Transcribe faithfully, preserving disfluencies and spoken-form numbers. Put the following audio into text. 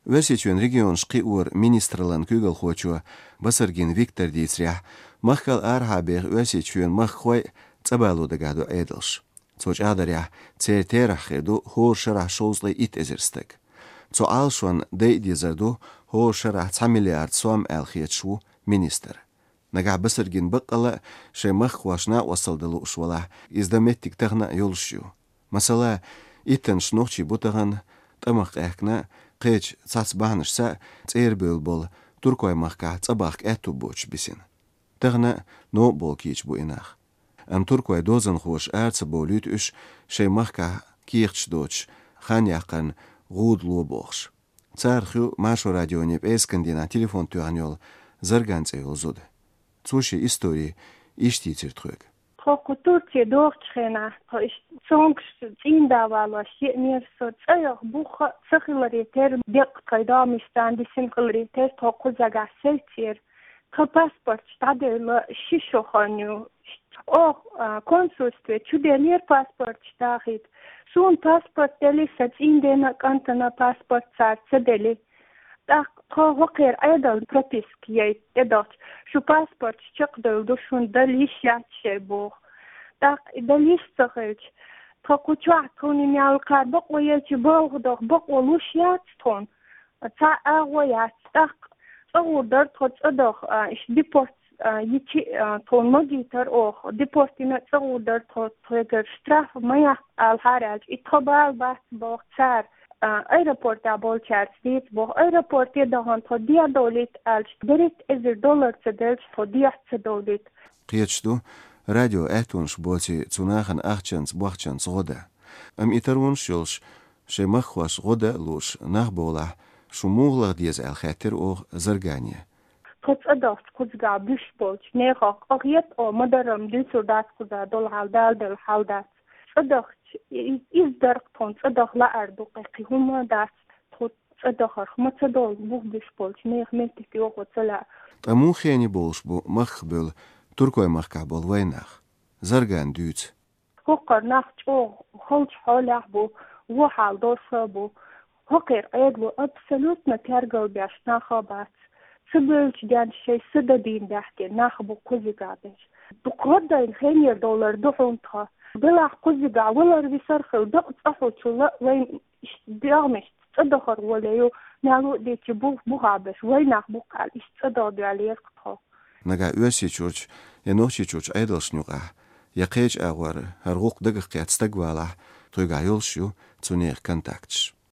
Оьрсийчоьнан регионаш кхиоран министраллан куьйгалхочо Басаргин Виктора дийцарехь, махкал арахьа беха Оьрсийчоьнан махкахой цӀа бало дагахь ду Ӏедалш. Цо чӀагӀдарехь, церан терахь хир ду хӀора шарахь шовзткъе итт эзар стаг. Цу Ӏалашонна дайа дезар ду хӀора шарахь цхьа миллиард сом аьлла хеташ ву министр. Нагахь Басаргин баккъалла а шайн махкахошна накъосталла дан лууш валахь, иза дан меттиг тахана а йолуш ю. Масала, иттаннаш нохчий бу тахана, тӀамах къаьхкина, кхечу цхьацца бахьанашца а цӀера бевлла болу туркойн махкахь цӀа бахка аьтту боцуш бисина. Тахана а новкъа болу кийча бу и нах. Амма туркойн дозанхоша ара ца бовлуьйту уьш шайн махкахь кехаташ доцуш, хан яккхарна гӀуда ло бохуш. Царах ю Маршо радионе пӀераскан дийнахь телефон тоьхна йолу Зарган цӀе йолу зуда. Цо шен истори иштта дийцира тхоьга. Тхо кху Турце дохучу хенахь, тхо иштта цомгуш цӀийнда валош еанера со, цӀа йоха бух а ца хиларе терра, деккъа тхайн догӀмашца дисина хиларе терра, тхо кхузахь сецира. Тхан паспорташ дӀаделла ши шо хан ю. Оха, а, консульстве чуделлера паспорташ дахийта. Суна паспорт делира, сан цӀийндена а, кӀантана а паспорт цара ца делира. ТӀаккха тхо хӀокхеран Ӏедална прописка яйта тӀедахча, шу паспорташ чекхдевлла ду, шуна дала йиш яц шайн боху. ТӀаккха и дала йиш ца хилча, тхо кху чохь тхуна и мел кхара бакъо елча, балха доху бакъо луш яц тхуна. Цхьа а агӀо яц. ТӀаккха цӀа гӀур дара тхо цӀа даха, а, иштта депорт, а, йичи, а, тхуна магийтара оха. Депорт йина а цӀа гӀур дара тхо, тхоьгара штраф ма яккха аьлла хьара аьлча, и тхо бала бац боху цара, а, аэропортехь болчаьрца дийца боху. Аэропорте дахана тхо дехьа довлийта аьлча, берхӀитта эзар доллар ца делча, тхо дехьа ца довлийта. Кхеташ ду радион аьттонаш боций цу нахана ахчанца, бохчанца гӀо дан. Амма и таронаш йолуш, шайн махкахошна гӀо дан а лууш нах бовлахь, шу муха лаха деза аьлла хаьттира оха Заргане. Тхо цӀа дахча кхузахь буьсуш болчу нехах къахета оха, ма-дарра-м дуьйцур дац кхузахь долу хьал, Дала делла хьал дац. ЦӀа дахча, и-, иза дара-кх тхуна, цӀа даха лаар ду, кхин хӀума дац, тхо цӀа дахарх ма ца долу, бух буьсуш болчу нехан меттиг йохо ца лаьа. Ткъа муха хене бовлуш бу махках бевлла туркойн махкахь болу вайн нах? Зарган дуьйцу. ХӀокхара нах чӀогӀа халчу хьолехь бу, вон хьал долуш а бу. ХӀокхеран Ӏедало абсолютно тергал беш нах а бац. Ца бевллачу денна шайн са дан дийна даьхкина нах бу кхузахь берш. Дукха гӀо дайна хенера довлар ду хьуна тхан. Делахь кхузахь валар висар хила, дакъа цӀа хьулчул а вайн иштта дегӀмашца цӀа дахар гӀоле ю, мел а дийцича бух, бухахь берш вайн нах бу-кх аьлла, иштта цӀа даха доьллера-кх тхо. Нагахь Оьрсийчуьрчу я Нохчийчуьрчу Ӏедалшна юкъахь, я кхечу агӀор хӀара гӀуллакх дагах кхетта стаг валахь, тхоьгахь йолуш ю цу нехан контакташ.